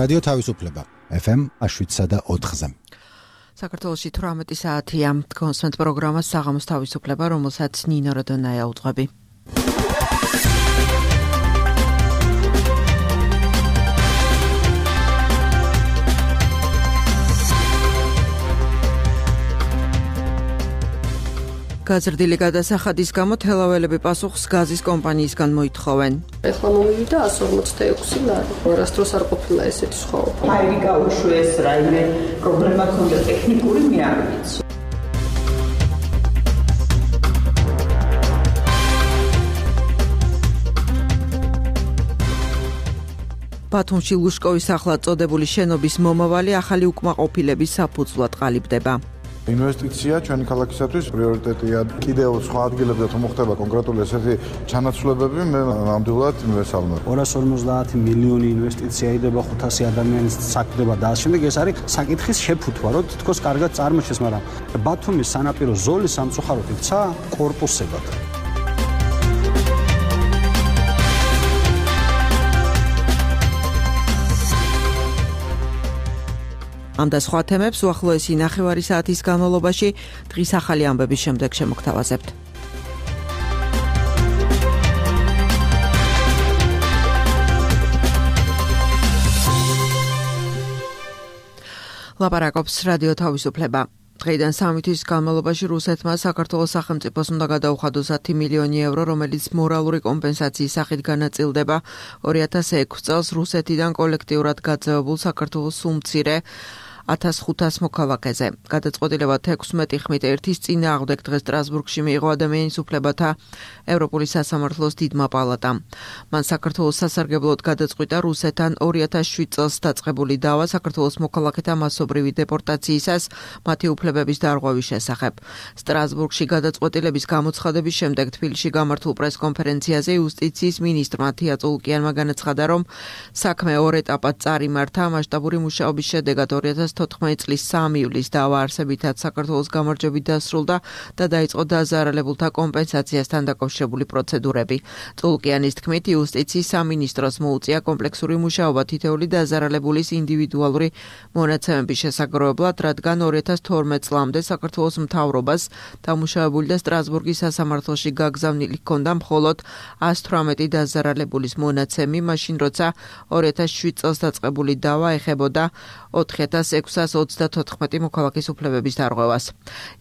რადიო თავისუფლება FM 7.4-ზე. საქართველოში 18 საათია. კონსვენთ პროგრამა საღამოს თავისუფლება, რომელსაც ნინო როდონაია უძღვები. გაზრდილი გადასახადის გამო თელაველები პასუხს გაზის კომპანიისგან მოითხოვენ. ეხლა მომივიდა 146 ლარი. არასდროს არ ყოფილა ესეთი სხვაობა. აირი გაუშვეს რაიმე პრობლემა ქონდა ტექნიკური, მე არ ვიცი. ბათუმში ლუშკოვის ახლა წოდებული შენობის მომავალი ახალი უკმაყოფილების საფუძვლად ყალიბდება. ინვესტიცია ჩვენი ქალაქისათვის პრიორიტეტია. კიდევ სხვა ადგილებზე თუ მოხდება კონკრეტული ესეთი ჩანაცვლებები, მე ნამდვილად მივესალმებ. 250 მილიონი ინვესტიცია იდება 500 ადამიანის საქმედება და ამ შემდეგ ეს არის საკითხის შეფუთვა, რომ თითქოს კარგად წარმოჩეს, მაგრამ ბათუმის სანაპირო ზოლი სამწუხაროდ იქცა კორპუსებად. ამ და სხვა თემებს უახლოესი ნახევარი საათის განმავლობაში დღის ახალი ამბების შემდეგ შემოგთავაზებთ. ლაპარაკობს რადიო თავისუფლება. დღეიდან 3 თვის განმავლობაში რუსეთმა საქართველოს სახელმწიფოს უნდა გადაუხადოს 10 მილიონი ევრო, რომელიც მორალური კომპენსაციის სახით განაწილდება 2006 წელს რუსეთიდან კოლექტიურად გაძევებულ საქართველოს უმცირე 1500 მოქალაქეზე. გადაწყვეტილება 16 ხმით ერთის წინააღმდეგ დღეს სტრასბურგში მიიღო ადამიანის უფლებათა ევროპული სასამართლოს დიდმა პალატამ. მან საქართველოს სასარგებლოდ გადაწყვიტა რუსეთთან 2007 წელს დაწყებული დავა საქართველოს მოქალაქეთა მასობრივი დეპორტაციისას მათი უფლებების დარღვევის შესახებ. სტრასბურგში გადაწყვეტილების გამოცხადების შემდეგ თბილისში გამართულ პრესკონფერენციაზე იუსტიციის მინისტრმა თია წულკიანმა განაცხადა, რომ საქმე ორ ეტაპად წარიმართა. მასშტაბური მუშაობის შედეგად 2014 წლის 3 ივლისს დავა არსებითად საქართველოს გამარჯვებით დასრულდა და დაიწყო დაზარალებულთა კომპენსაციასთან დაკავშირებული პროცედურები. წულკიანის თქმით, იუსტიციის სამინისტროს მოუწია კომპლექსური მუშაობა თითოეული დაზარალებულის ინდივიდუალური მონაცემების შესაგროვებლად, რადგან 2012 წლამდე საქართველოს მთავრობას დამუშავებული და სტრასბურგის სასამართლოში გაგზავნილი ჰქონდა მხოლოდ 118 დაზარალებულის მონაცემი, მაშინ როცა 2007 წელს დაწყებული დავა ეხებოდა 4634 მოქალაქის უფლებების დარღვევას.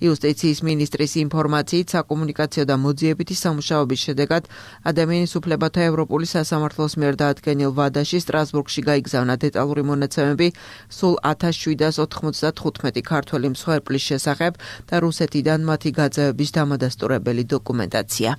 იუსტიციის მინისტრის ინფორმაციით, საკომუნიკაციო და მოძიებითი სამუშაოების შედეგად ადამიანის უფლებათა ევროპული სასამართლოს მიერ დაადგენილ ვადაში სტრასბურგში გაიგზავნა დეტალური მონაცემები სულ 1795 ქართველი მსხვერპლის შესახებ და რუსეთიდან მათი გაძევების დამადასტურებელი დოკუმენტაცია.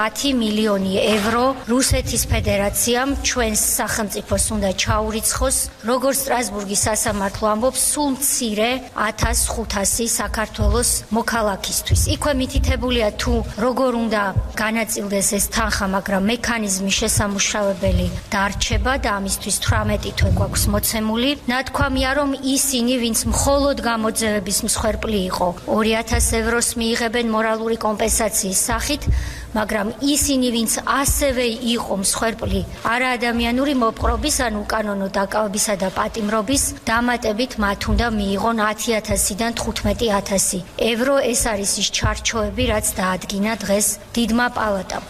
10 მილიონი ევრო რუსეთის ფედერაციამ ჩვენს სახელმწიფოს უნდა ჩაურიცხოს, როგორც სტრასბურგის სასამართლო ამბობს, სულ მცირე 1500 საქართველოს მოქალაქისთვის. იქვე მითითებულია თუ როგორ უნდა განაწილდეს ეს თანხა, მაგრამ მექანიზმი შესამუშავებელი დარჩება და ამისთვის 18 თვე გვაქვს მოცემული. ნათქვამია, რომ ისინი, ვინც მხოლოდ გამოძევების მსხვერპლი იყო, 2000 ევროს მიიღებენ მორალური კომპენსაციის სახით, მაგრამ ისინი, ვინც ასევე იყო მსხვერპლი არაადამიანური მოპყრობის, ან უკანონო დაკავებისა და პატიმრობის დამატებით, მათ უნდა მიიღონ 10.000-დან 15.000 ევრო. ეს არის ის ჩარჩოები, რაც დაადგინა დღეს დიდმა პალატამ.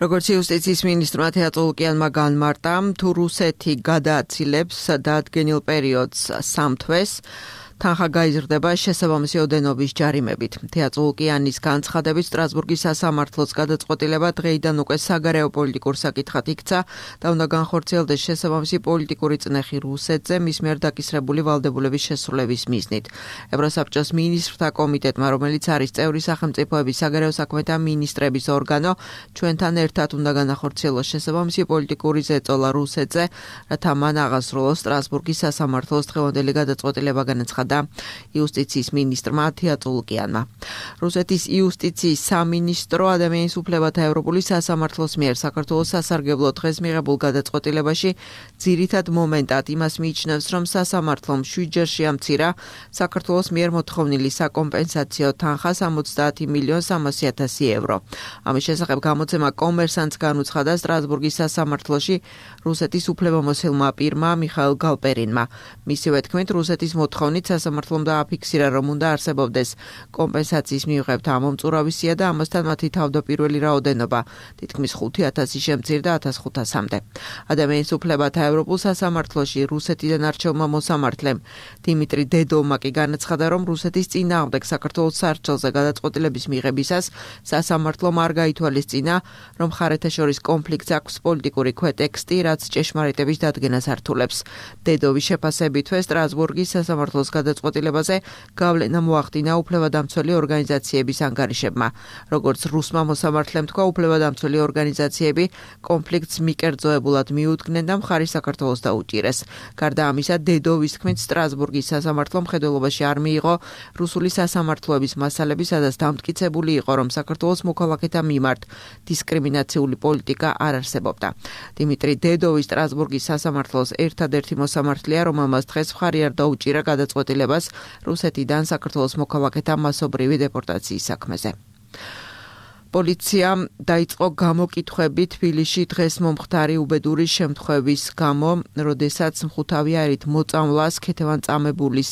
როგორც იუსტიციის მინისტრმა თია წულკიანმა განმარტა, თუ რუსეთი გადააცილებს დაადგენილ პერიოდს 3 თვეს, თანხა გაიზრდება შესაბამისი ოდენობის ჯარიმებით. თია წულკიანის განცხადებით, სტრასბურგის სასამართლოს გადაწყვეტილება დღეიდან უკვე საგარეო პოლიტიკურ საკითხად იქცა და უნდა განხორციელდეს შესაბამისი პოლიტიკური წნეხი რუსეთზე მის მიერ დაკისრებული ვალდებულების შესრულების მიზნით. ევროსაბჭოს მინისტრთა კომიტეტმა, რომელიც არის წევრი სახელმწიფოების საგარეო საქმეთა მინისტრების ორგანო, ჩვენთან ერთად უნდა განახორციელოს შესაბამისი პოლიტიკური ზეწოლა რუსეთზე, რათა მან აღასრულოს სტრასბურგის სასამართლოს დღევანდელი გადაწყვეტილება განაცხადა იუსტიციის მინისტრმა თია წულკიანმა. რუსეთის იუსტიციის სამინისტრო ადამიანის უფლებათა ევროპული სასამართლოს მიერ საქართველოს სასარგებლო დღეს მიღებულ გადაწყვეტილებაში ძირითად მომენტად იმას მიიჩნევს, რომ სასამართლომ 7 ჯერ შეამცირა საქართველოს მიერ მოთხოვნილი საკომპენსაციო თანხა 70.300.000 евро. ამის შესახებ გამოცემა კომერსანტს განუცხადა სტრასბურგის სასამართლოში რუსეთის უფლებამოსილმა პირმა მიხაილ გალპერინმა. მისივე თქმით, რუსეთის მოთხოვნით სასამართლომ დააფიქსირა, რომ უნდა არსებობდეს კომპენსაციის მიღებთა ამომწურავისია და ამასთან მათი თავდაპირველი რაოდენობა თითქმის 5,000 შემცირდა 1,500-მდე. ადამიანის უფლებათა ევროპულ სასამართლოში რუსეთიდან არჩეულმა მოსამართლემ დიმიტრი დედოვმა კი განაცხადა, რომ რუსეთის წინააღმდეგ საქართველოს სარჩელზე გადაწყვეტილების მიღებისას სასამართლომ არ გაითვალისწინა, რომ მხარეთა შორის კონფლიქტს აქვს პოლიტიკური ქვეტექსტი, რაც ჭეშმარიტების დადგენას ართულებს. დედოვის შეფასებითვე სტრასბურგის სასამართლოს გადაწყვეტილებაზე გავლენა მოახდინა უფლებადამცველი ორგანიზაციების ანგარიშებმა. როგორც რუსმა მოსამართლემ თქვა, უფლებადამცველი ორგანიზაციები კონფლიქტს მიკერძოებულად მიუდგნენ და მხარი საქართველოს დაუჭირეს. გარდა ამისა, დედოვის თქმით, სტრასბურგის სასამართლო მხედველობაში არ მიიღო რუსული სასამართლოების მასალები, სადაც დამტკიცებული იყო, რომ საქართველოს მოქალაქეთა მიმართ დისკრიმინაციული პოლიტიკა არ არსებობდა. დიმიტრი დედოვი სტრასბურგის სასამართლოს ერთადერთი მოსამართლეა, რომელმაც დღეს მხარი არ დაუჭირა გადაწყვეტილებას რუსეთიდან საქართველოს მოქალაქეთა მასობრივი დეპორტაციის საქმეზე. პოლიციამ დაიწყო გამოკითხვები თბილისში დღეს მომხდარი უბედური შემთხვევის გამო, როდესაც მხუთავი აირით მოწამვლას ქეთევან-წამებულის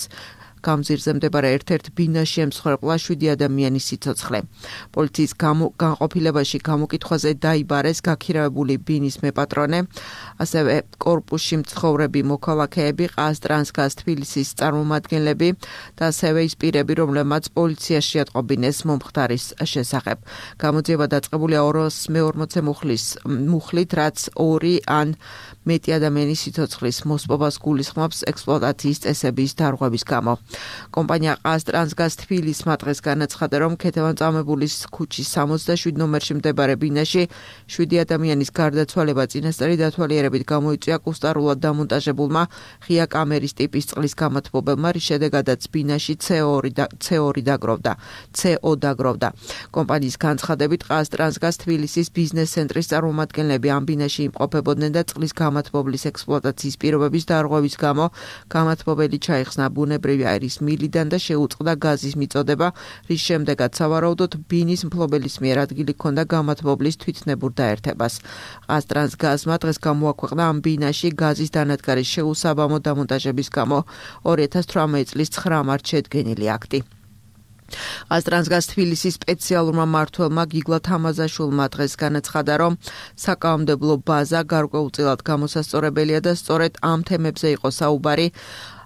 გამზირზე მდებარე ერთ-ერთ ბინაში ემსხვერპლა 7 ადამიანის სიცოცხლე. პოლიციის განყოფილებაში გამოკითხვაზე დაიბარეს გაქირავებული ბინის მეპატრონე, ასევე კორპუსში მცხოვრები მოქალაქეები, ყაზტრანსგაზ თბილისის წარმომადგენლები და ასევე ის პირები, რომლებმაც პოლიციაში შეატყობინეს მომხდარის შესახებ. გამოძიება დაწყებულია 240 მუხლით, რაც 2 ან მეტი ადამიანის სიცოცხლის მოსპობას გულისხმობს ექსპლუატაციის წესების დარღვევის გამო. კომპანია ყაზტრანსგაზ თბილისმა დღეს განაცხადა, რომ ქეთევან-წამებულის ქუჩის 67 ნომერში მდებარე ბინაში 7 ადამიანის გარდაცვალება წინასწარი დათვალიერებით გამოიწვია კუსტარულად დამონტაჟებულმა ღია კამერის ტიპის წყლის გამათბობელმა, რის შედეგადაც ბინაში CO დაგროვდა. კომპანიის განცხადებით, ყაზტრანსგაზ თბილისის ბიზნეს ცენტრის წარმომადგენლები ამ ბინაში იმყოფებოდნენ და წყლის გამათბობლის ექსპლუატაციის პირობების დარღვევის გამო გამათბობელი ჩაიხსნა ბუნებრივი აირის მილიდან და შეუწყდა გაზის მიწოდება, რის შემდეგაც სავარაუდოდ ბინის მფლობელის მიერ ადგილი ჰქონდა გამათბობლის თვითნებურ დაერთებას. ყაზტრანსგაზმა დღეს გამოაქვეყნა ამ ბინაში გაზის დანადგარის შეუსაბამო დამონტაჟების გამო 2018 წლის 9 მარტს შედგენილი აქტი. ყაზტრანსგაზ თბილისის სპეციალურმა მმართველმა გიგლა თამაზაშვილმა დღეს განაცხადა, რომ საკანონმდებლო ბაზა გარკვეულწილად გამოსასწორებელია და სწორედ ამ თემებზე იყო საუბარი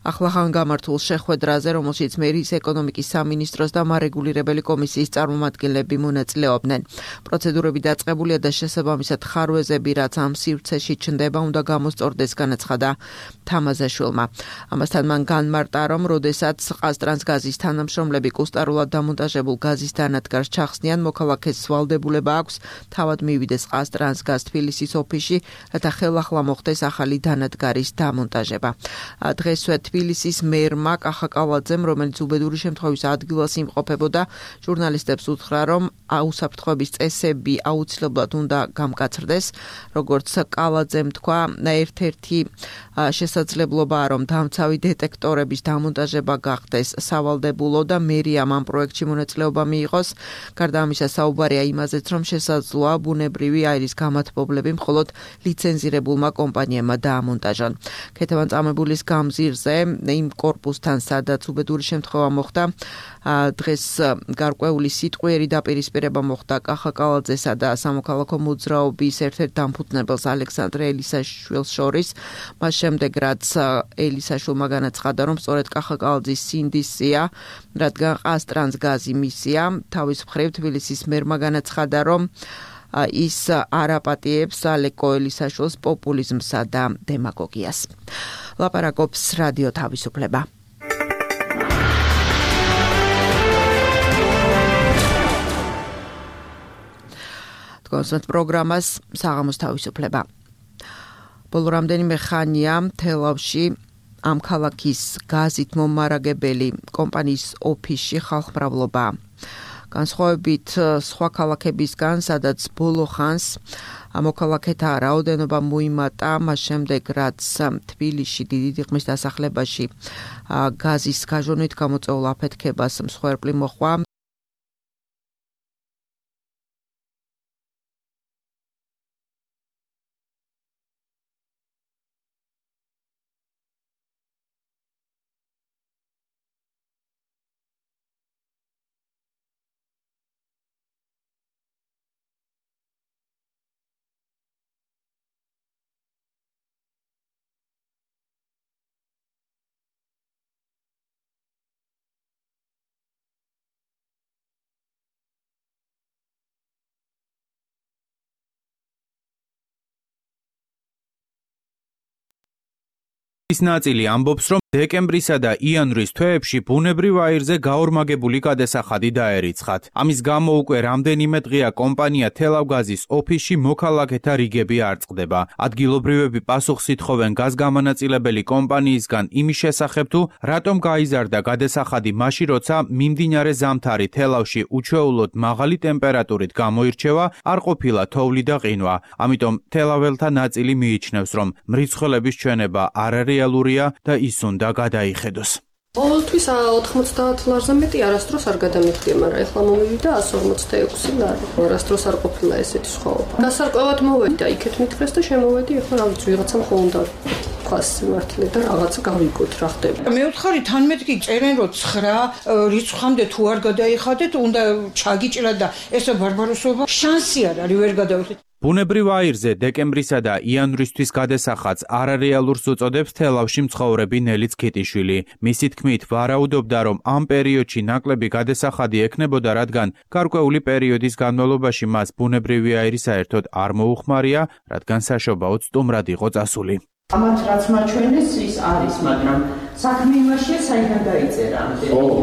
ახლახან გამართულ შეხვედრაზე, რომელშიც მერის ეკონომიკის სამინისტროს და მარეგულირებელი კომისიის წარმომადგენლები მონაწილეობდნენ. პროცედურები დაწყებულია და შესაბამისად ხარვეზები, რაც ამ სივრცეში ჩნდება, უნდა გამოსწორდეს, განაცხადა თამაზაშვილმა. ამასთან მან განმარტა, რომ როდესაც ყაზტრანსგაზის თანამშრომლები კუსტარულად დამონტაჟებულ გაზის დანადგარს ჩახსნიან, მოქალაქეს ვალდებულება აქვს თავად მივიდეს ყაზტრანსგაზ თბილისის ოფისში, რათა ხელახლა მოხდეს ახალი დანადგარის დამონტაჟება. დღესვე თბილისის მერმა კახაკალაძემ, რომელიც უბედური შემთხვევის ადგილას იმყოფებოდა, ჟურნალისტებს უთხრა, რომ უსაფრთხოების წესები აუცილებლად უნდა გამკაცრდეს. როგორც კალაძემ თქვა, ერთ-ერთი შესაძლებლობაა, რომ დამცავი დეტექტორების დამონტაჟება გახდეს სავალდებულო და მერიამ ამ პროექტში მონაწილეობა მიიღოს. გარდა ამისა, საუბარია იმაზეც, რომ შესაძლოა ბუნებრივი აირის გამათბობლები მხოლოდ ლიცენზირებულმა კომპანიებმა დაამონტაჟონ. ქეთევან-წამებულის გამზირზე იმ კორპუსთან, სადაც უბედური შემთხვევა მოხდა, დღეს გარკვეული სიტყვიერი დაპირისპირება მოხდა კახაკალაძესა და სამოქალაქო მოძრაობის ერთ-ერთ დამფუძნებელს ალექსანდრე ელისაშვილს შორის. მას შემდეგ, რაც ელისაშვილმა განაცხადა, რომ სწორედ კახაკალაძის სინდისია, რადგან ყაზტრანსგაზი მისია, თავის მხრივ თბილისის მერმა განაცხადა, რომ ის არაპატიებს ალეკო ელისაშვილს პოპულიზმსა და დემაგოგიას. ლაპარაკობს რადიო თავისუფლება. კონსერტ პროგრამას საღამოს თავისუფლება. ბოლო რამდენიმე ხანია თელავში ამ ქალაქის გაზით მომარაგებელი კომპანიის ოფისში ხალხმრავლობა განსხვავებით სხვა ქალაქებისგან, სადაც ბოლო ხანს მოქალაქეთა რაოდენობა მოიმატა, მას შემდეგ რაც თბილისში დიდი დიღმის დასახლებაში გაზის გაჟონვით გამოწვეულ აფეთქებას მსხვერპლი მოჰყვა. ის ნაწილი ამბობს, რომ დეკემბრისა და იანვრის თვეებში ბუნებრივ აირზე გაორმაგებული გადასახადი დაერიცხათ. ამის გამო უკვე რამდენიმე დღეა კომპანია თელავგაზის ოფისში მოქალაქეთა რიგები არ წყდება. ადგილობრივები პასუხს ითხოვენ გაზგამანაწილებელი კომპანიისგან იმის შესახებ თუ რატომ გაიზარდა გადასახადი მაშინ, როცა მიმდინარე ზამთარი თელავში უჩვეულოდ მაღალი ტემპერატურით გამოირჩევა, არ ყოფილა თოვლი და ყინვა. ამიტომ თელაველთა ნაწილი მიიჩნევს, რომ მრიცხველების ჩვენება არარეალურია და ის და გადაიხედოს. ყოველთვის 90 ლარზე მეტი არასდროს არ გადამიხდია, მაგრამ ეხლა მომივიდა 156 ლარი. არასდროს არ ყოფილა ესეთი სხვაობა. გასარკვევად მოვედი და იქეთ მითხრეს და შემოვედი, ეხლა რა ვიცი, ვიღაცამ ხო უნდა ხას მართლე და რაღაცა გავიგოთ რა ხდება. მე ვთხარი თან მეთქი წერენ რომ 9 რიცხვამდე თუ არ გადაიხადეთ, უნდა ჩაგიჭრა და ესა ბარბაროსობა შანსი არ არის ვერ გადავიხდით. ბუნებრივ აირზე დეკემბრისა და იანვრისთვის გადასახადს არარეალურს უწოდებს თელავში მცხოვრები ნელი ცქიტიშვილი. მისი თქმით, ვარაუდობდა, რომ ამ პერიოდში ნაკლები გადასახადი ექნებოდა, რადგან გარკვეული პერიოდის განმავლობაში მას ბუნებრივი აირი საერთოდ არ მოუხმარია, რადგან საშობაოდ სტუმრად იყო წასული. ამათ რაც მაჩვენეს ის არის, მაგრამ საქმე იმაშია, საიდან დაიწერა.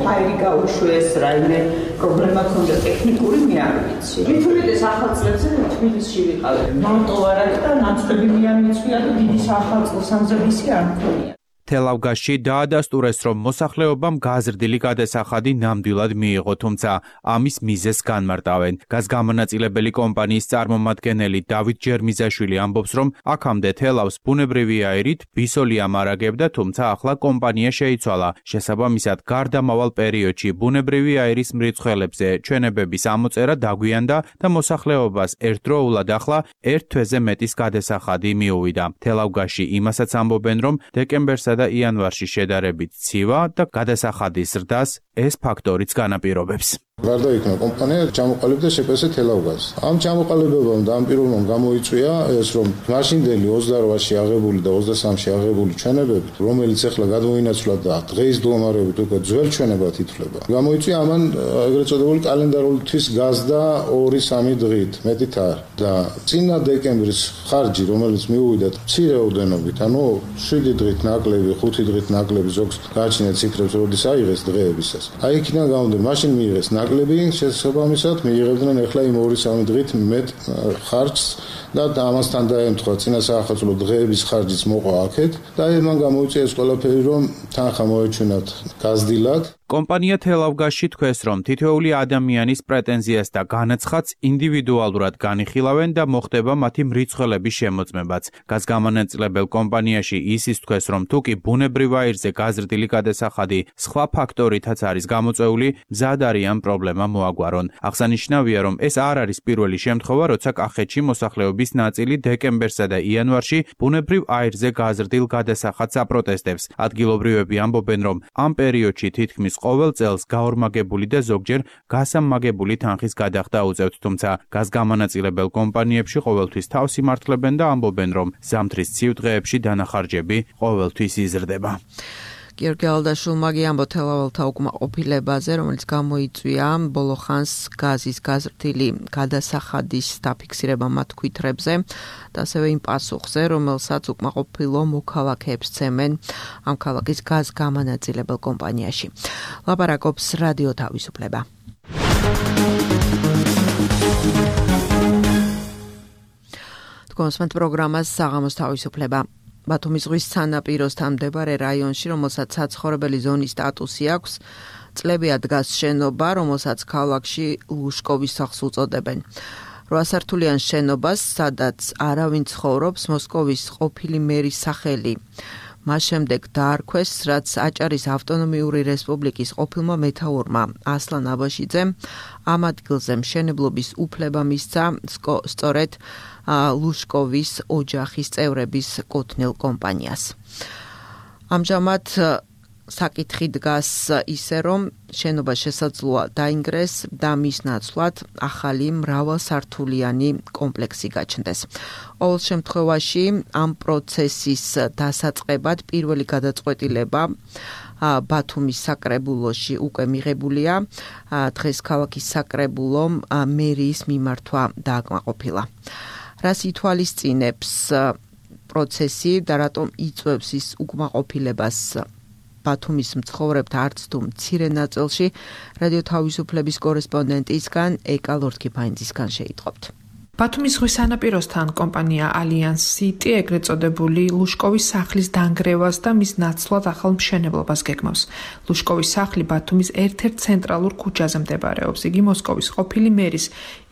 ფაილი გაუშვეს, რაიმე პრობლემა ქონდა ტექნიკური, მე არ ვიცი. მithumetes ახალ წლებზე თბილისში ვიყავ. მარტო არ არის და ნაცვლები მე არ მიცვია და დიდი ახალწლს ამზადისი არ მქონია. თელავგაზში დაადასტურეს, რომ მოსახლეობამ გაზრდილი გადასახადი ნამდვილად მიიღო, თუმცა ამის მიზეზს განმარტავენ. გაზგამანაწილებელი კომპანიის წარმომადგენელი დავით ჯერმიზაშვილი ამბობს, რომ აქამდე თელავს ბუნებრივი აირით ბისოლი ამარაგებდა, თუმცა ახლა კომპანია შეიცვალა. შესაბამისად, გარდამავალ პერიოდში ბუნებრივი აირის მრიცხველებზე ჩვენებების ამოწერა დაგვიანდა და მოსახლეობას ერთდროულად ახლა ერთ თვეზე მეტის გადასახადი მიუვიდა. თელავგაზში იმასაც ამბობენ, რომ დეკემბერსა და იანვარში შედარებით ცივა და გადასახადის ზრდას ეს ფაქტორიც განაპირობებს. გარდაიქმნა კომპანია ჩამოყალიბდა შეპესე თელავგაზს. ამ ჩამოყალიბებამ და ამ პირობამ გამოიწვია ეს, რომ მაშინდელი 28-ში აღებული და 23-ში აღებული ჩვენებებით, რომელიც ახლა გადმოინაცვლა და დღეის დუამარებით უკვე ძველ ჩვენებად ითვლება. გამოიწვია ამან ეგრეთ წოდებული კალენდარული თვის გაზდა 2-3 დღით, მეტით არ. და წინა დეკემბრის ხარჯი, რომელიც მიუვიდა მცირე ოდენობით, ანუ 7 დღით ნაკლები, 5 დღით ნაკლები ზოგს გააჩნია ციფრებს, როდის აიღეს დღეებისას. აი იქიდან გამომდინარე, მაშინ მიიღეს ნაკლები, შესაბამისად მიიღებდნენ ახლა იმ 2-3 დღით მეტ ხარჯს და ამასთან დაემთხვა წინა საახალწლო დღეების ხარჯიც მოყვა აქეთ და მან გამოიწვია ეს ყველაფერი, რომ თანხა მოეჩვენათ გაზრდილად. კომპანია თელავგაზში თქვეს, რომ თითოეული ადამიანის პრეტენზიას და განაცხადს ინდივიდუალურად განიხილავენ და მოხდება მათი მრიცხველების შემოწმებაც. გაზგამანაწილებელ კომპანიაში ისიც თქვეს, რომ თუკი ბუნებრივ აირზე გაზრდილი გადასახადი სხვა ფაქტორითაც არის გამოწვეული, მზად არიან პრობლემა მოაგვარონ. აღსანიშნავია, რომ ეს არ არის პირველი შემთხვევა, როცა კახეთში მოსახლეობის ნაწილი დეკემბერსა და იანვარში ბუნებრივ აირზე გაზრდილ გადასახადს აპროტესტებს. ადგილობრივები ამბობენ, რომ ამ პერიოდში თითქმის ყოველ წელს გაორმაგებული და ზოგჯერ გასამმაგებული თანხის გადახდა უწევთ, თუმცა გაზგამანაწილებელ კომპანიებში ყოველთვის თავს იმართლებენ და ამბობენ, რომ ზამთრის ცივ დღეებში დანახარჯები ყოველთვის იზრდება. გიორგი ალდაშვილმა ამბო თელაველთა უკმაყოფილებაზე, რომელიც გამოიწვია ბოლო ხანს გაზის გაზრდილი გადასახადის დაფიქსირება მათ თვითრებზე და ასევე იმ პასუხზე, რომელსაც უკმაყოფილო მოქალაქეებს ცემენ ამ ქალაქის გაზგამანაწილებელ კომპანიაში. ლაპარაკობს რადიო თავისუფლება. კონსმენტ პროგრამას საღამოს თავისუფლება. ბათუმის ზღვის სანაპიროსთან მდებარე რაიონში, რომელსაც საცხოვრებელი ზონის სტატუსი აქვს, წლებია დგას შენობა, რომელსაც ქალაქში ლუშკოვის სახლს უწოდებენ. 8 სართულიან შენობას, სადაც არავინ ცხოვრობს, მოსკოვის ყოფილი მერის სახელი. მას შემდეგ დაარქვეს, რაც აჭარის ავტონომიური რესპუბლიკის ყოფილმა მეთაურმა ასლან აბაშიძემ ამ ადგილზე მშენებლობის უფლება მისცა სწორედ ლუშკოვის ოჯახის წევრების კუთვნილ კომპანიას. ამჟამად საკითხი დგას ისე, რომ შენობა შესაძლოა დაინგრეს და მის ნაცვლად ახალი მრავალსართულიანი კომპლექსი გაჩნდეს. ყოველ შემთხვევაში ამ პროცესის დასაწყებად პირველი გადაწყვეტილება ბათუმის საკრებულოში უკვე მიღებულია. დღეს ქალაქის საკრებულომ მერიის მიმართვა დააკმაყოფილა. რას ითვალისწინებს პროცესი და რატომ იწვევს ის უკმაყოფილებას ბათუმის მცხოვრებთა არც თუ მცირე ნაწილში, რადიო თავისუფლების კორესპონდენტისგან ეკა ლორთქიფაინძისგან შეიტყობთ. ბათუმის ზღვის სანაპიროსთან კომპანია ალიანს სიტი ეგრეთ წოდებული ლუშკოვის სახლის დანგრევას და მის ნაცვლად ახალ მშენებლობას გეგმავს. ლუშკოვის სახლი ბათუმის ერთ-ერთ ცენტრალურ ქუჩაზე მდებარეობს. იგი მოსკოვის ყოფილი მერის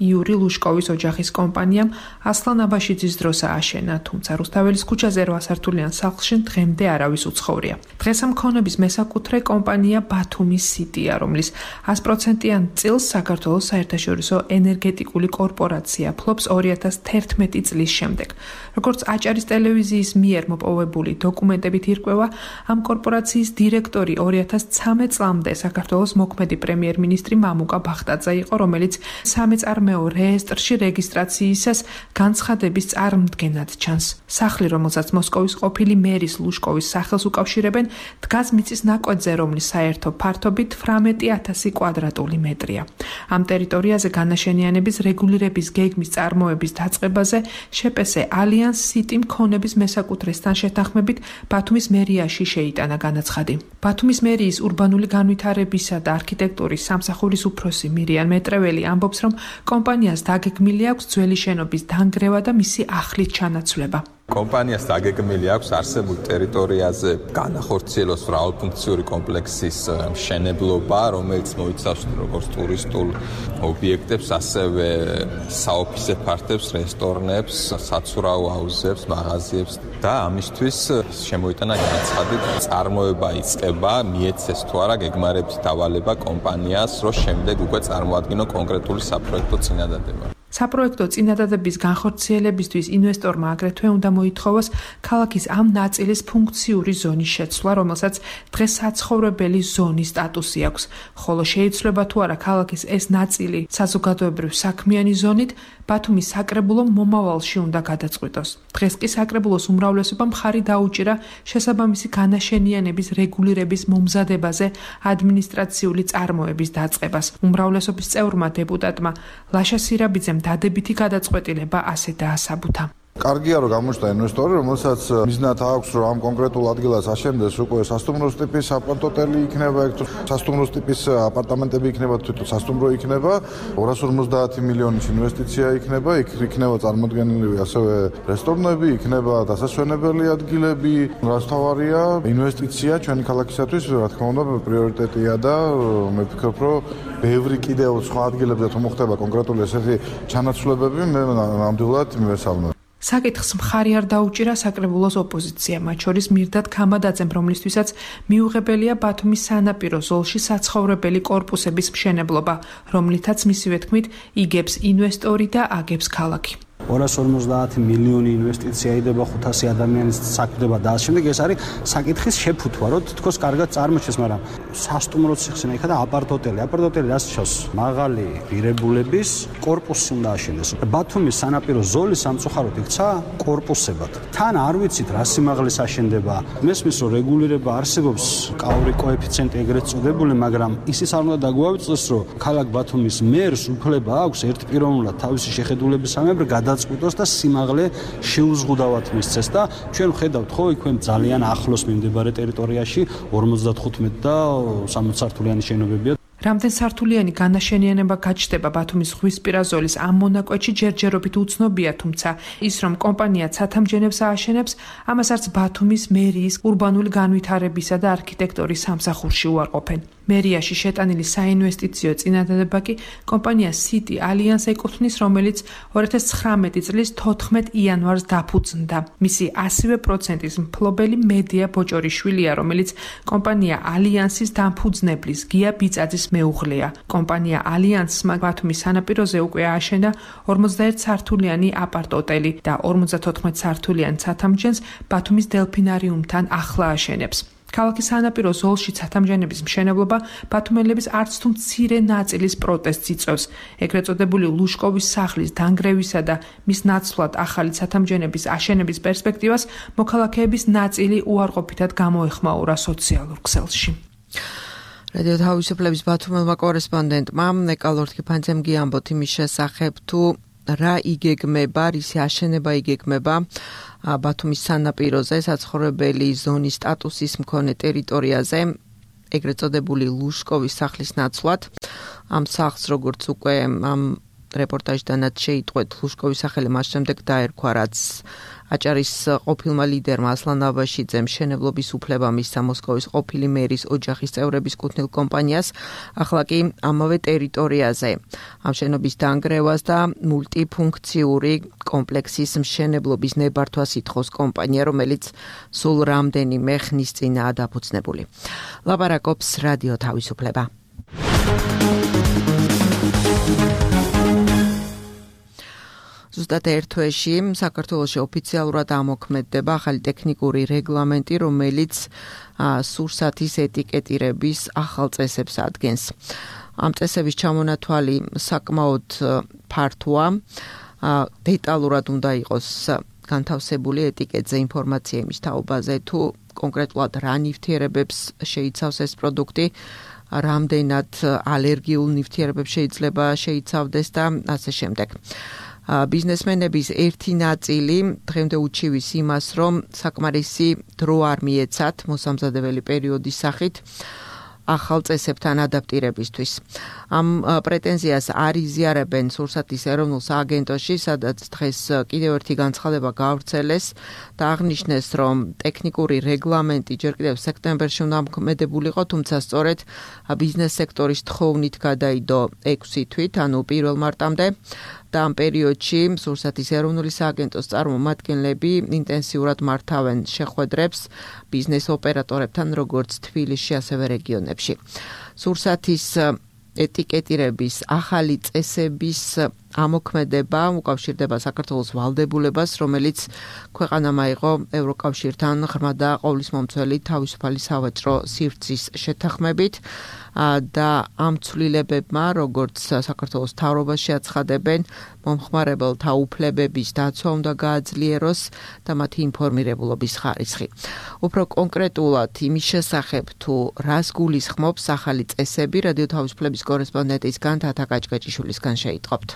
იური ლუშკოვის ოჯახის კომპანიამ ასლან აბაშიძის დროს ააშენა, თუმცა რუსთაველის ქუჩაზე 8 სართულიან სახლში დღემდე არავის უცხოვრია. დღეს ამ ქონების მესაკუთრე კომპანია ბათუმის სიტია, რომლის 100%-იან წილს საქართველოს საერთაშორისო ენერგეტიკული კორპორაცია 2011 წლის შემდეგ. როგორც აჭარის ტელევიზიის მიერ მოპოვებული დოკუმენტებით ირკვევა, ამ კორპორაციის დირექტორი 2013 წლამდე საქართველოს მოქმედი პრემიერ-მინისტრი მამუკა ბახტაძე იყო, რომელიც სამეწარმეო რეესტრში რეგისტრაციისას განცხადების წარმდგენად ჩანს. სახლი, რომელსაც მოსკოვის ყოფილი მერის ლუშკოვის სახელს უკავშირებენ, დგას მიწის ნაკვეთზე, რომლის საერთო ფართობი 18,000 კვადრატული მეტრია. ამ ტერიტორიაზე განაშენიანების რეგულირების გეგმის წარმოების დაწყებაზე შეპესე ალიანს სიტიმ ქონების მესაკუთრესთან შეთანხმებით ბათუმის მერიაში შეიტანა განაცხადი. ბათუმის მერიის ურბანული განვითარებისა და არქიტექტურის სამსახურის უფროსი მირიან მეტრეველი ამბობს, რომ კომპანიას დაგეგმილი აქვს ძველი შენობის დანგრევა და მისი ახლით ჩანაცვლება. კომპანიას დაგეგმილი აქვს არსებულ ტერიტორიაზე განახორციელოს მრავალფუნქციური კომპლექსის მშენებლობა, რომელიც მოიცავს როგორც ტურისტულ ობიექტებს, ასევე საოფისე ფართებს, რესტორნებს, საცურაო აუზებს, მაღაზიებს და ამისთვის შემოიტანა განაცხადი, წარმოება იწყება, მიეცეს თუ არა გეგმარებით დავალება კომპანიას, რომ შემდეგ უკვე წარმოადგინო კონკრეტული საპროექტო წინადადება. საპროექტო წინადადების განხორციელებისთვის ინვესტორმა აგრეთვე უნდა მოითხოვოს ქალაქის ამ ნაწილის ფუნქციური ზონის შეცვლა, რომელსაც დღეს საცხოვრებელი ზონის სტატუსი აქვს. ხოლო შეიცვლება თუ არა ქალაქის ეს ნაწილი საზოგადოებრივ საქმიანი ზონით, ბათუმის საკრებულომ მომავალში უნდა გადაწყვიტოს. დღეს კი საკრებულოს უმრავლესობამ მხარი დაუჭირა შესაბამისი განაშენიანების რეგულირების მომზადებაზე ადმინისტრაციული წარმოების დაწყებას. უმრავლესობის წევრმა დეპუტატმა ლაშა სირაბიძემ დადებითი გადაწყვეტილება ასე დაასაბუთა. კარგია რომ გამოჩნდა ინვესტორი, რომელსაც მიზნად აქვს რომ ამ კონკრეტულ ადგილას აშენდეს უკვე სასტუმროს ტიპის აპარტოტელი იქნება, სასტუმროს ტიპის აპარტამენტები იქნება, თვითონ სასტუმრო იქნება, 250 მილიონის ინვესტიცია იქნება, იქნება წარმოდგენილი ასევე რესტორნები, იქნება დასასვენებელი ადგილები, რაც თავარია ინვესტიცია ჩვენი ქალაქისათვის, რა თქმა უნდა, პრიორიტეტია და მე ვფიქრობ, რომ ბევრი კიდევ სხვა ადგილებზე თუ მოხდება კონკრეტული ესეთი ჩანაცვლებები, მე ნამდვილად მივესალმებ. საკითხს მხარი არ დაუჭირა საკრებულოს ოპოზიცია, მათ შორის მირდად ქამადაძემ, რომლისთვისაც მიუღებელია ბათუმის სანაპირო ზოლში საცხოვრებელი კორპუსების მშენებლობა, რომლითაც მისივე თქმით იგებს ინვესტორი და აგებს ქალაქი. 250 მილიონი ინვესტიცია იდება 500 ადამიანის საქმდება და შემდეგ ეს არის საკითხის შეფუთვა, რომ თქოს კარგად წარმოჩეს, მაგრამ სასტუმროც იხსენა იქა და აპარტოტელი რას შავს? მაღალი ღირებულების კორპუსი უნდა აშენდეს. ბათუმის სანაპირო ზოლი სამწუხაროდ იქცა კორპუსებად. თან არ ვიცით რა სიმაღლის აშენდება. მესმის რომ რეგულირება არსებობს, კაური კოეფიციენტი ეგრეთ წოდებული, მაგრამ ისიც არ უნდა დაგვავიწყდეს, რომ ქალაქ ბათუმის მერს უფლება აქვს ერთპიროვნულად თავისი შეხედულებისამებრ გადაწყვიტოს და სიმაღლე შეუზღუდავად მისცეს და ჩვენ ვხედავთ ხო იქვე ძალიან ახლოს მიმდებარე ტერიტორიაში 55 და 60 სართულიანი შენობებია. რამდენ სართულიანი განაშენიანება გაჩნდება ბათუმის ზღვისპირა ზოლის ამ მონაკვეთში ჯერჯერობით უცნობია, თუმცა ის რომ კომპანია ცათამბჯენებს ააშენებს, ამას არც ბათუმის მერიის ურბანული განვითარებისა და არქიტექტურის სამსახურში უარყოფენ. მერიაში შეტანილი საინვესტიციო წინადადება კი კომპანია City Alliance ეკუთვნის, რომელიც 2019 წლის 14 იანვარს დაფუძნდა. მისი 100%-ის მფლობელი მედია ბოჭორიშვილია, რომელიც კომპანია Alliance-ის დამფუძნებლის გია ბიწაძის მეუღლეა. კომპანია Alliance-მა ბათუმის სანაპიროზე უკვე ააშენა 51 სართულიანი აპარტ-ოტელი და 54 სართულიან ცათამბჯენს ბათუმის დელფინარიუმთან ახლა აშენებს. ქალაქის სანაპირო ზოლში ცათამბჯენების მშენებლობა ბათუმელების არც თუ მცირე ნაწილის პროტესტს იწვევს. ეგრეთ წოდებული ლუშკოვის სახლის დანგრევისა და მის ნაცვლად ახალი ცათამბჯენების აშენების პერსპექტივას მოქალაქეების ნაწილი უარყოფითად გამოეხმაურა სოციალურ ქსელში. რადიო თავისუფლების ბათუმელმა კორესპონდენტმა ნეკალორ თქიფანძემ გიამბოთ იმის შესახებ თუ რა იგეგმება, რისი აშენება იგეგმება ბათუმის სანაპიროზე საცხოვრებელი ზონის სტატუსის მქონე ტერიტორიაზე, ეგრეთ წოდებული ლუშკოვის სახლის ნაცვლად. ამ სახლს, როგორც უკვე ამ რეპორტაჟიდანაც შეიტყვეთ, ლუშკოვის სახელი მას შემდეგ დაერქვა, რაც აჭარის ყოფილმა ლიდერმა ასლან აბაშიძემ მშენებლობის უფლება მისცა მოსკოვის ყოფილი მერის ოჯახის წევრების კუთვნილ კომპანიას, ახლა კი ამავე ტერიტორიაზე ამ შენობის დანგრევას და მულტიფუნქციური კომპლექსის მშენებლობის ნებართვას ითხოვს კომპანია, რომელიც სულ რამდენიმე ხნის წინაა დაფუძნებული. ლაპარაკობს რადიო თავისუფლება. ზუსტად ერთ თვეში საქართველოში ოფიციალურად ამოქმედდება ახალი ტექნიკური რეგლამენტი, რომელიც სურსათის ეტიკეტირების ახალ წესებს ადგენს. ამ წესების ჩამონათვალი საკმაოდ ფართოა, დეტალურად უნდა იყოს განთავსებული ეტიკეტზე ინფორმაცია იმის თაობაზე, თუ კონკრეტულად რა ნივთიერებებს შეიცავს ეს პროდუქტი, რამდენად ალერგიულ ნივთიერებებს შეიძლება შეიცავდეს და ასე შემდეგ. ბიზნესმენების ერთი ნაწილი დღემდე უჩივის იმას, რომ საკმარისი დრო არ მიეცათ მოსამზადებელი პერიოდის სახით ახალ წესებთან ადაპტირებისთვის. ამ პრეტენზიას არ იზიარებენ სურსათის ეროვნულ სააგენტოში, სადაც დღეს კიდევ ერთი განცხადება გაავრცელეს და აღნიშნეს, რომ ტექნიკური რეგლამენტი ჯერ კიდევ სექტემბერში უნდა მოქმედებულიყო, თუმცა სწორედ ბიზნეს სექტორის თხოვნით გადაიდო 6 თვით, ანუ 1 მარტამდე. და ამ პერიოდში სურსათის ეროვნული სააგენტოს წარმომადგენლები ინტენსიურად მართავენ შეხვედრებს ბიზნეს ოპერატორებთან, როგორც თბილისში, ასევე რეგიონებში. სურსათის ეტიკეტირების ახალი წესების ამოქმედება უკავშირდება საქართველოს ვალდებულებას, რომელიც ქვეყანამ აიღო ევროკავშირთან ღრმა და ყოვლისმომცველი თავისუფალი სავაჭრო სივრცის შეთანხმებით და ამ ცვლილებებმა, როგორც საქართველოს მთავრობაში აცხადებენ, მომხმარებელთა უფლებების დაცვა უნდა გააძლიეროს და მათი ინფორმირებულობის ხარისხი. უფრო კონკრეტულად იმის შესახებ, თუ რას გულისხმობს ახალი წესები, რადიო თავისუფლების კორესპონდენტისგან თათა კაჭკაჭიშვილისგან შეიტყობთ.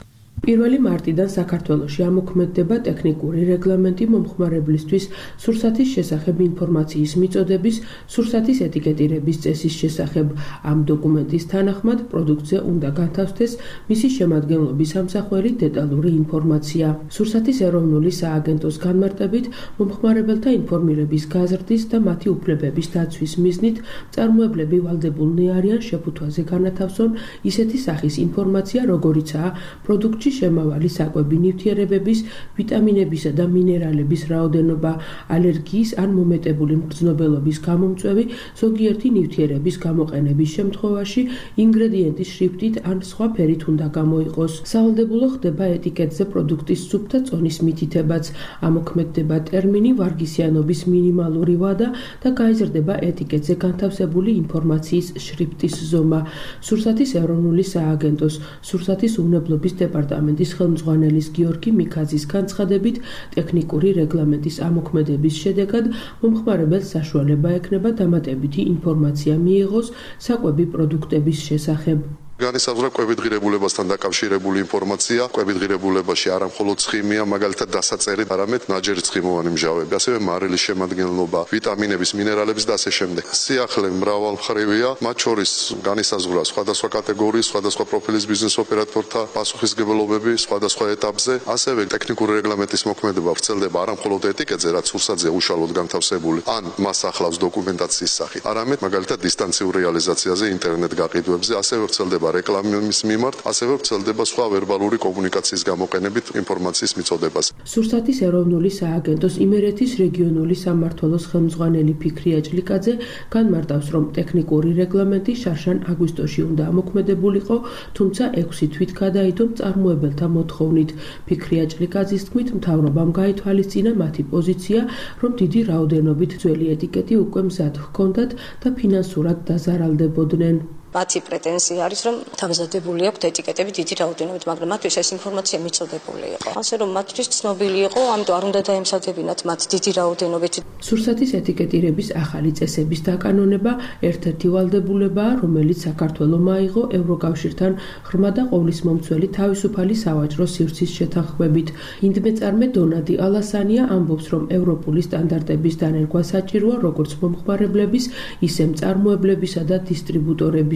1 მარტიდან საქართველოში ამოქმედდება ტექნიკური რეგლამენტი მომხმარებლისთვის სურსათის შესახებ ინფორმაციის მიწოდების, სურსათის ეტიკეტირების წესის შესახებ. ამ დოკუმენტის თანახმად პროდუქტზე უნდა განთავსდეს მისი შემადგენლობის ამსახველი დეტალური ინფორმაცია. სურსათის ეროვნული სააგენტოს განმარტებით, მომხმარებელთა ინფორმირების გაზრდის და მათი უფლებების დაცვის მიზნით მწარმოებლები ვალდებულნი არიან შეფუთვაზე განათავსონ ისეთი სახის ინფორმაცია, როგორიცაა პროდუქტში შემავალი საკვები ნივთიერებების, ვიტამინებისა და მინერალების რაოდენობა, ალერგიის ან მომეტებული მგრძნობელობის გამომწვევი, ზოგიერთი ნივთიერების გამოყენების შემთხვევაში ინგრედიენტის შრიფტით ან სხვა ფერით უნდა გამოიყოს. სავალდებულო ხდება ეტიკეტზე პროდუქტის სუფთა წონის მითითებაც, ამოქმედდება ტერმინი ვარგისიანობის მინიმალური ვადა და გაიზრდება ეტიკეტზე განთავსებული ინფორმაციის შრიფტის ზომა. სურსათის ეროვნული სააგენტოს, სურსათის უნებლობის დეპარტამენტის ხელმძღვანელის გიორგი მიქაძის განცხადებით, ტექნიკური რეგლამენტის ამოქმედების შედეგად მომხმარებელს საშუალება ექნება დამატებითი ინფორმაცია მიიღოს საკვები პროდუქტების შესახებ. განისაზღვრა კვებით ღირებულებასთან დაკავშირებული ინფორმაცია. კვებით ღირებულებაში არა მხოლოდ ცხიმია, მაგალითად დასაწერი, არამედ ნაჯერი ცხიმოვანი მჟავები, ასევე მარილის შემადგენლობა, ვიტამინების, მინერალების და ასე შემდეგ. სიახლე მრავალმხრივია, მათ შორის განისაზღვრა სხვადასხვა კატეგორიის, სხვადასხვა პროფილის ბიზნეს ოპერატორთა პასუხისმგებლობები სხვადასხვა ეტაპზე, ასევე ტექნიკური რეგლამენტის მოქმედება ვრცელდება არა მხოლოდ ეტიკეტზე, რაც სურსათზე უშუალოდ განთავსებული, ან მას ახლავს დოკუმენტაციის სახით, არამედ მაგალითად დისტანციურ რეალიზაციაზე, ინტერნეტ გაყიდვებზე, ასევე ვრცელდება რეკლამის მიმართ, ასევე ვრცელდება სხვა ვერბალური კომუნიკაციის გამოყენებით ინფორმაციის მიწოდებას. სურსათის ეროვნული სააგენტოს იმერეთის რეგიონული სამმართველოს ხელმძღვანელი ფიქრი აჭლიკაძე განმარტავს, რომ ტექნიკური რეგლამენტი შარშან აგვისტოში უნდა ამოქმედებულიყო, თუმცა 6 თვით გადაიდო მწარმოებელთა მოთხოვნით. ფიქრი აჭლიკაძის თქმით, მთავრობამ გაითვალისწინა მათი პოზიცია, რომ დიდი რაოდენობით ძველი ეტიკეტი უკვე მზად ჰქონდათ და ფინანსურად დაზარალდებოდნენ. მათი პრეტენზია არის, რომ დამზადებული აქვთ ეტიკეტები დიდი რაოდენობით, მაგრამ მათთვის ეს ინფორმაცია მიწოდებული იყო. ასე რომ მათთვის ცნობილი იყო, ამიტომ არ უნდა დაემსადებინათ მათ დიდი რაოდენობით. სურსათის ეტიკეტირების ახალი წესების დაკანონება ერთ-ერთი ვალდებულებაა, რომელიც საქართველომ აიღო ევროკავშირთან ღრმა და ყოვლისმომცველი თავისუფალი სავაჭრო სივრცის შეთანხმებით. ინდმეწარმე დონადი ალასანია ამბობს, რომ ევროპული სტანდარტების დანერგვა საჭიროა როგორც მომხმარებლების, ისე მწარმოებლებისა და დისტრიბუტორების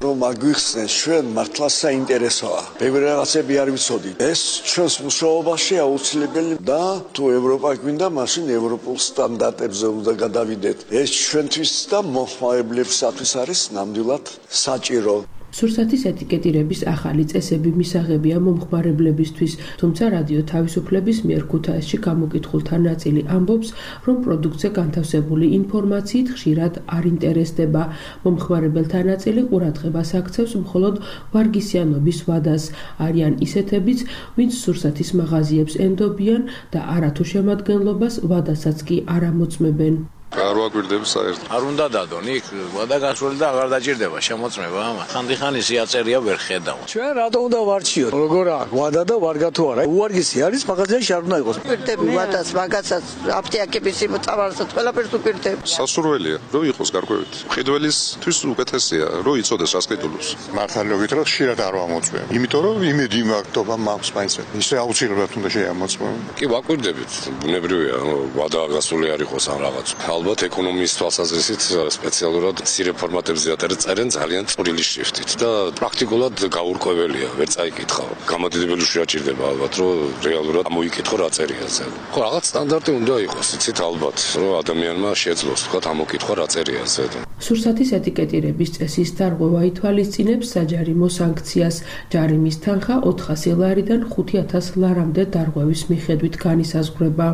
რომ აგვიხსნეს ჩვენ მართლა საინტერესოა. ბევრი რაღაცები არ ვიცოდით. ეს ჩვენს მუშაობაში აუცილებელი და თუ ევროპა გვინდა, მაშინ ევროპულ სტანდარტებზე უნდა გადავიდეთ. ეს ჩვენთვის და მომხმარებლებისათვის არის ნამდვილად საჭირო. სურსათის ეტიკეტირების ახალი წესები მისაღებია მომხმარებლებისთვის, თუმცა რადიო თავისუფლების მიერ ქუთაისში გამოკითხულთა ნაწილი ამბობს, რომ პროდუქტზე განთავსებული ინფორმაციით ხშირად არ ინტერესდება. მომხმარებელთა ნაწილი ყურადღებას აქცევს მხოლოდ ვარგისიანობის ვადას. არიან ისეთებიც, ვინც სურსათის მაღაზიებს ენდობიან და არათუ შემადგენლობას ვადასაც კი არ ამოწმებენ. არ ვაგვირდებს საერთოდ. არ უნდა დადონ, იქ ვადა გასული და აღარ დაჭირდება შემოწმება ამა. ხანდახანი სიაწერია ვერ ხედავ. ჩვენ რატო უნდა ვარჩიოთ? როგორ აქვს ვადა და ვარგა თუ არა? უვარგისი არის მაღაზიაში არ უნდა იყოს. ვირდები ვადას, მაგასაც აფთიაქების იმწავარსაც ყველაფერს ვირდებ. სასურველია, რომ იყოს გარკვევით. მყიდველისთვის უკეთესია, რომ იცოდეს რას ყიდულობს. მართალობით რომ ხშირად არ ვამოწმებ. იმიტომ რომ იმედი მაქვს მაქვს მაინც. ისე აუცილებლად უნდა შეამოწმო. კი ვაკვირდებით, ბუნებრივია, ვადა გასული არ იყოს ამ რაღაც. ალბათ ეკონომიის თვალსაზრისით სპეციალურად მცირე ფორმატებზე აწერენ ძალიან წვრილი შრიფტით და პრაქტიკულად გაურკვეველია, ვერ წაიკითხავ. გამოდიდებელი შეაჭირდება ალბათ, რომ რეალურად ამოიკითხო რა წერია ზე. ხო, რაღაც სტანდარტი უნდა იყოს, იცით ალბათ, რომ ადამიანმა შეძლოს თქვა ამოკითხვა რა წერია ზე. სურსათის ეტიკეტირების წესის დარღვევა ითვალისწინებს საჯარიმო სანქციას. ჯარიმის თანხა 400 ლარიდან 5000 ლარამდე დარღვევის მიხედვით განისაზღვრება.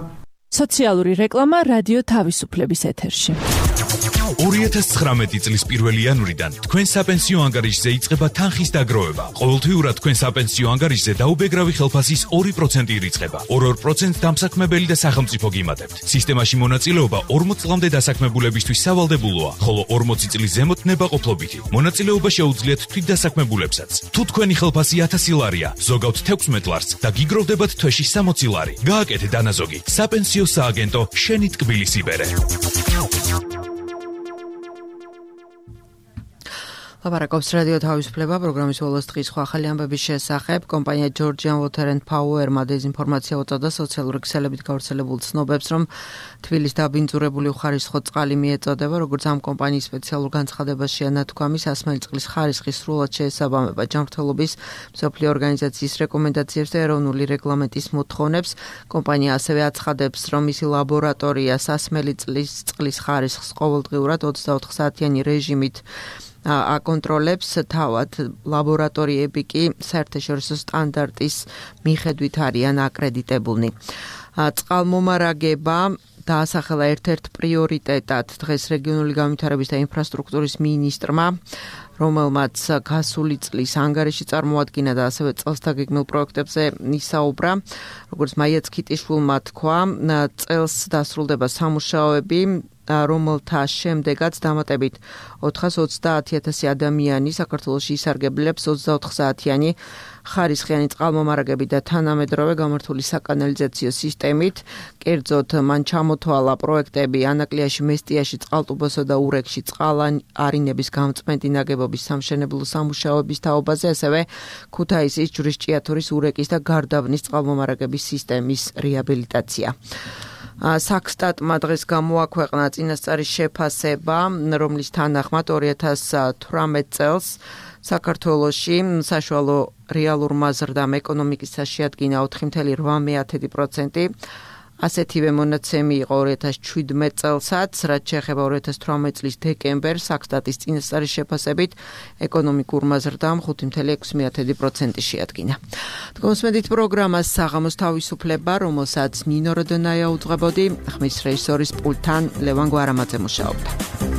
სოციალური რეკლამა რადიო თავისუფლების ეთერში. 2019 წლის 1 იანვრიდან თქვენ საპენსიო ანგარიშზე იწყება თანხის დაგროვება. ყოველთვიურად თქვენ საპენსიო ანგარიშზე დაუბეგრავი ხელფასის 2% ირიცხება. 2% დამსაქმებელი და სახელმწიფო გიმატებთ. სისტემაში მონაწილეობა 40 წლამდე დასაქმებულებისთვის სავალდებულოა, ხოლო 40 წლის ზემოთ ნებაყოფლობითი. მონაწილეობა შეუძლიათ თვითდასაქმებულებსაც. თუ თქვენი ხელფასი 1000 ლარია, ზოგავთ 16 ლარს და გიგროვდებათ თვეში 60 ლარი. გააკეთე დანაზოგი. საპენსიო სააგენტო შენი ტკბილის იბერე. ლაპარაკობს რადიო თავისუფლება პროგრამის ბოლოს დღის ახალი ამბების შესახებ. კომპანია Georgian Water and Power-მა დეზინფორმაცია უწოდა სოციალური ქსელებით გავრცელებულ ცნობებს, რომ თბილის დაბინძურებული უხარისხო წყალი მიეწოდება, როგორც ამ კომპანიის სპეციალურ განცხადებაში ანათქვამი, სასმელი წყლის ხარისხის სრულად შეესაბამება ჯანმრთელობის მსოფლიო ორგანიზაციის რეკომენდაციებს და ეროვნული რეგლამენტის მოთხოვნებს. კომპანია ასევე აცხადებს, რომ მისი ლაბორატორია სასმელი წყლის ხარისხს ყოველდღიურად 24 საათიანი რეჟიმით აკონტროლებს, თავად ლაბორატორიები კი საერთაშორისო სტანდარტის მიხედვით არიან აკრედიტებულნი. წყალმომარაგება დაასახელა ერთ-ერთ პრიორიტეტად დღეს რეგიონული განვითარების და ინფრასტრუქტურის მინისტრმა, რომელმაც გასული წლის ანგარიში წარმოადგინა და ასევე წელსდაგეგმილ პროექტებზე ისაუბრა. როგორც მაია ცქიტიშვილმა თქვა, წელს დასრულდება სამუშაოები რომელთა შემდეგაც დამატებით 430,000 ადამიანი საქართველოში ისარგებლებს 24 საათიანი ხარისხიანი წყალმომარაგებით და თანამედროვე გამართული საკანალიზაციო სისტემით. კერძოდ, მან ჩამოთვალა პროექტები ანაკლიაში, მესტიაში, წყალტუბოსა და ურეკში წყალარინების გამწმენდი ნაგებობის სამშენებლო სამუშაოების თაობაზე, ასევე ქუთაისის, ჯვრის, ჭიათურის, ურეკის და გარდაბნის წყალმომარაგების სისტემის რეაბილიტაცია. საქსტატმა დღეს გამოაქვეყნა წინასწარი შეფასება, რომლის თანახმად 2018 წელს საქართველოში საშუალო რეალურმა ზრდამ ეკონომიკის შეადგინა 4.8%. ასეთივე მონაცემი იყო 2017 წელსაც, რაც შეეხება 2018 წლის დეკემბერს, საქსტატის წინასწარი შეფასებით ეკონომიკურმა ზრდამ 5.6% შეადგინა. თქვენს პროგრამას საღამოს თავისუფლება, რომელსაც ნინო როდონაია უძღვებოდი, ხმის რეჟისორის პულტთან ლევან გვარამაძე მუშაობდა.